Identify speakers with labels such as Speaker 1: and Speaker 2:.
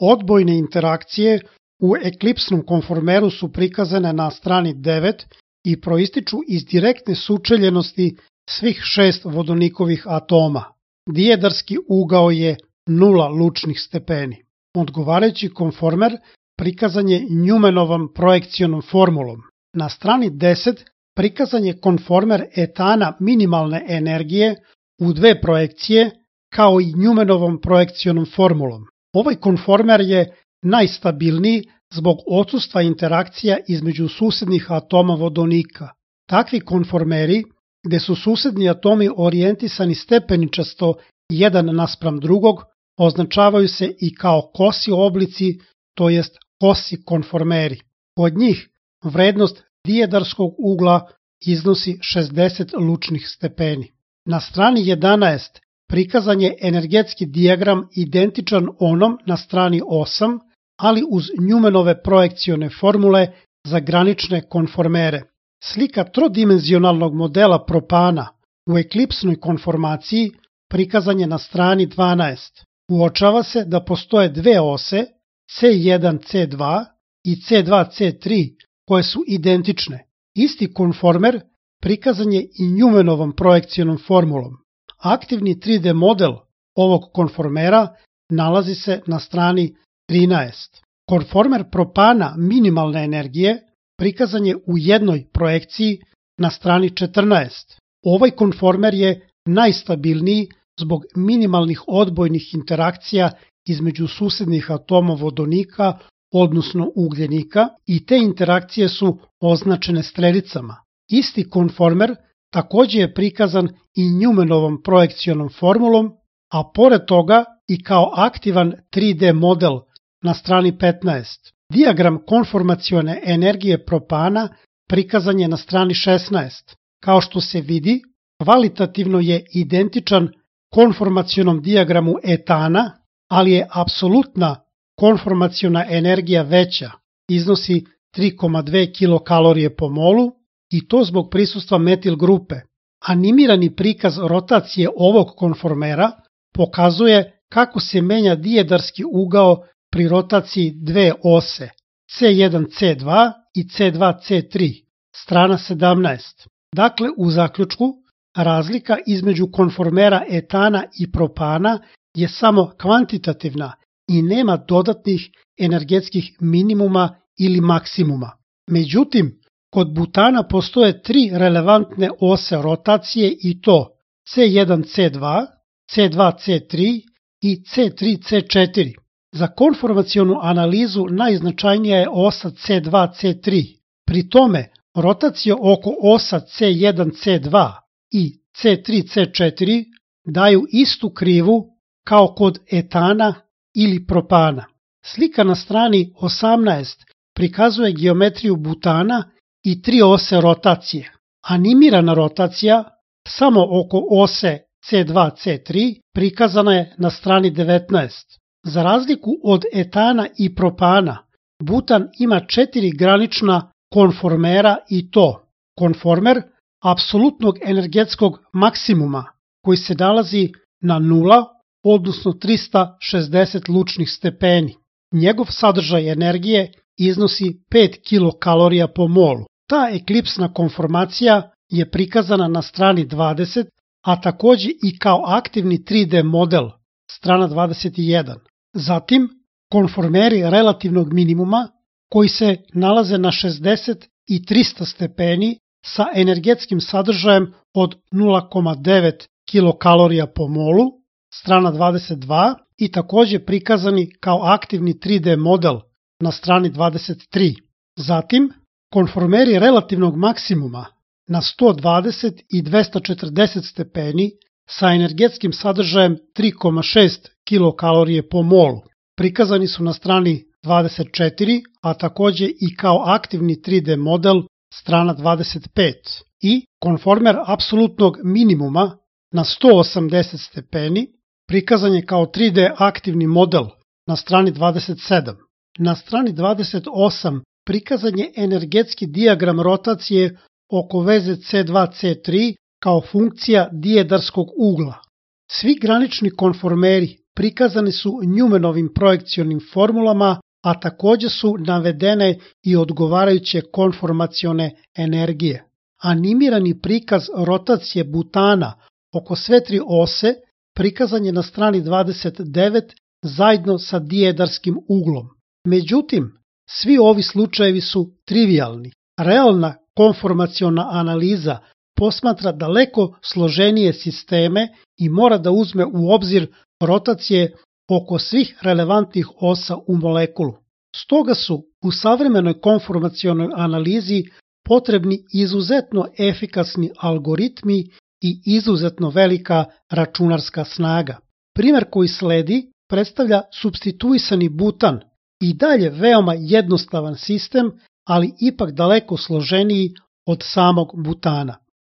Speaker 1: Odbojne interakcije u eklipsnom konformeru su prikazane na strani 9 i proističu iz direktne sučeljenosti svih 6 vodonikovih atoma. Dijedarski ugao je 0 lučnih stepeni. Odgovarajući konformer prikazan je Newmanovom projekcionom formulom. Na strani 10 prikazan je konformer etana minimalne energije u dve projekcije kao i Newmanovom projekcionom formulom. Ovaj konformer je najstabilniji zbog odsustva interakcija između susednih atoma vodonika. Takvi konformeri, gde su susedni atomi orijentisani stepeničasto jedan naspram drugog, označavaju se i kao kosi oblici, to jest kosi konformeri. Kod njih vrednost dijedarskog ugla iznosi 60 lučnih stepeni. Na strani 11 prikazan je energetski dijagram identičan onom na strani 8, ali uz Newmanove projekcione formule za granične konformere. Slika trodimenzionalnog modela propana u eklipsnoj konformaciji prikazan je na strani 12. Uočava se da postoje dve ose, C1-C2 i C2-C3, koje su identične. Isti konformer prikazan je i Newmanovom projekcionom formulom. Aktivni 3D model ovog konformera nalazi se na strani 13. Konformer propana minimalne energije prikazan je u jednoj projekciji na strani 14. Ovaj konformer je najstabilniji zbog minimalnih odbojnih interakcija između susednih atoma vodonika, odnosno ugljenika, i te interakcije su označene strelicama. Isti konformer takođe je prikazan i Newmanovom projekcionom formulom, a pored toga i kao aktivan 3D model na strani 15. Dijagram konformacione energije propana prikazan je na strani 16. Kao što se vidi, kvalitativno je identičan konformacionom dijagramu etana, ali je apsolutna konformaciona energija veća, iznosi 3,2 kilokalorije po molu, i to zbog prisustva metil grupe. Animirani prikaz rotacije ovog konformera pokazuje kako se menja dijedarski ugao pri rotaciji dve ose, C1-C2 i C2-C3, strana 17. Dakle, u zaključku, razlika između konformera etana i propana je samo kvantitativna i nema dodatnih energetskih minimuma ili maksimuma. Međutim, kod butana postoje tri relevantne ose rotacije i to C1-C2, C2-C3 i C3-C4. Za konformacionu analizu najznačajnija je osa C2-C3. Pri tome, rotacija oko osa C1-C2 i C3-C4 daju istu krivu kao kod etana ili propana. Slika na strani 18 prikazuje geometriju butana i tri ose rotacije. Animirana rotacija samo oko ose C2-C3 prikazana je na strani 19. Za razliku od etana i propana, butan ima 4 granična konformera i to konformer apsolutnog energetskog maksimuma koji se nalazi na 0, odnosno 360 lučnih stepeni. Njegov sadržaj energije iznosi 5 kilokalorija po molu. Ta eklipsna konformacija je prikazana na strani 20, a takođe i kao aktivni 3D model, strana 21. Zatim, konformeri relativnog minimuma koji se nalaze na 60 i 300 stepeni sa energetskim sadržajem od 0,9 kilokalorija po molu, strana 22, i takođe prikazani kao aktivni 3D model na strani 23. Zatim, konformeri relativnog maksimuma na 120 i 240 stepeni sa energetskim sadržajem 3,6 kilokalorije po molu. Prikazani su na strani 24, a takođe i kao aktivni 3D model, strana 25. I konformer apsolutnog minimuma na 180 stepeni prikazan je kao 3D aktivni model na strani 27. Na strani 28 prikazan je energetski dijagram rotacije oko veze C2-C3 kao funkcija dijedarskog ugla. Svi granični konformeri prikazane su Newmanovim projekcionim formulama, a takođe su navedene i odgovarajuće konformacione energije. Animirani prikaz rotacije butana oko sve tri ose prikazan je na strani 29 zajedno sa dijedarskim uglom. Međutim, svi ovi slučajevi su trivialni. Realna konformaciona analiza posmatra daleko složenije sisteme i mora da uzme u obzir rotacije oko svih relevantnih osa u molekulu. Stoga su u savremenoj konformacionoj analizi potrebni izuzetno efikasni algoritmi i izuzetno velika računarska snaga. Primer koji sledi predstavlja supstituisani butan, i dalje veoma jednostavan sistem, ali ipak daleko složeniji od samog butana.